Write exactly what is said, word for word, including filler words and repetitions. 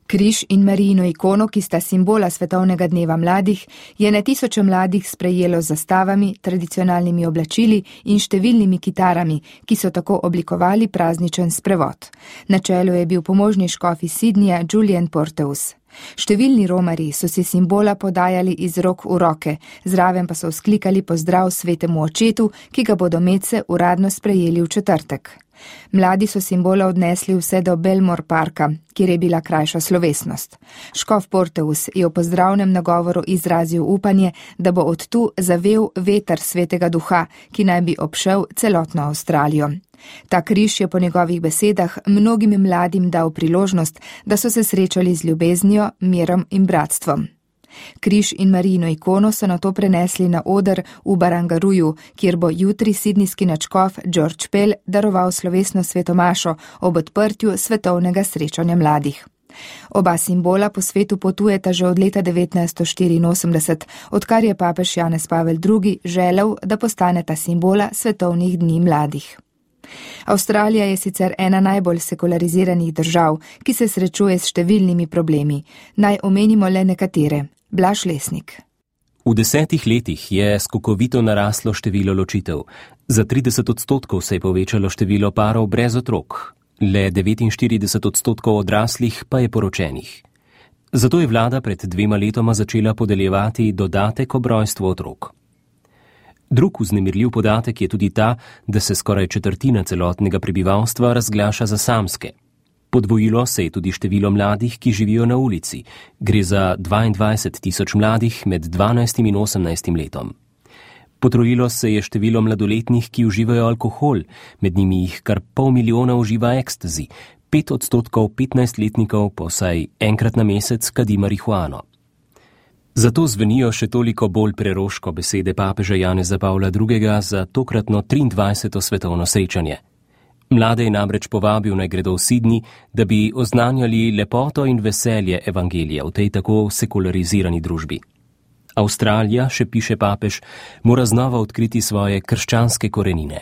Križ in Marijino ikono, ki sta simbola Svetovnega dneva mladih, je na tisoče mladih sprejelo z zastavami, tradicionalnimi oblačili in številnimi kitarami, ki so tako oblikovali prazničen sprevod. Na čelu je bil pomožni škof iz Sydneyja Julian Porteous. Številni romarji so si simbola podajali iz rok v roke, zraven pa so vzklikali pozdrav svetemu očetu, ki ga bodo medse uradno sprejeli v četrtek. Mladi so simbola odnesli vse do Belmore parka, kjer je bila krajša slovesnost. Škof Porteous je v pozdravnem nagovoru izrazil upanje, da bo od tu zavel veter svetega duha, ki naj bi obšel celotno Avstralijo. Ta križ je po njegovih besedah mnogim mladim dal priložnost, da so se srečali z ljubeznijo, mirom in bratstvom. Križ in Marijino ikono so nato prenesli na oder v Barangaruju, kjer bo jutri sidnijski nadškof George Pell daroval slovesno svetomašo ob odprtju svetovnega srečanja mladih. Oba simbola po svetu potujeta že od leta devetnajststo štiriinosemdeset, odkar je papež Janez Pavel drugi želel, da postaneta simbola svetovnih dni mladih. Avstralija je sicer ena najbolj sekulariziranih držav, ki se srečuje s številnimi problemi. Naj omenimo le nekatere. Blaž Lesnik. V desetih letih je skokovito naraslo število ločitev. Za trideset odstotkov se je povečalo število parov brez otrok. Le devetinštirideset odstotkov odraslih pa je poročenih. Zato je vlada pred dvema letoma začela podeljevati dodatek ob rojstvu otrok. Drug vznemirljiv podatek je tudi ta, da se skoraj četrtina celotnega prebivalstva razglaša za samske. Podvojilo se je tudi število mladih, ki živijo na ulici. Gre za dvaindvajset tisoč mladih med dvanajstim in osemnajstim letom. Potrojilo se je število mladoletnih, ki uživajo alkohol, med njimi jih kar pol milijona uživa ekstazi, pet odstotkov petnajstletnikov pa vsaj enkrat na mesec kadi marihuano. Zato zvenijo še toliko bolj preroško besede papeža Janeza Pavla drugega za tokratno triindvajseto svetovno srečanje. Mlade je namreč povabil naj gredo v Sydney, da bi oznanjali lepoto in veselje evangelija v tej tako sekularizirani družbi. Avstralija, še piše papež, mora znova odkriti svoje krščanske korenine.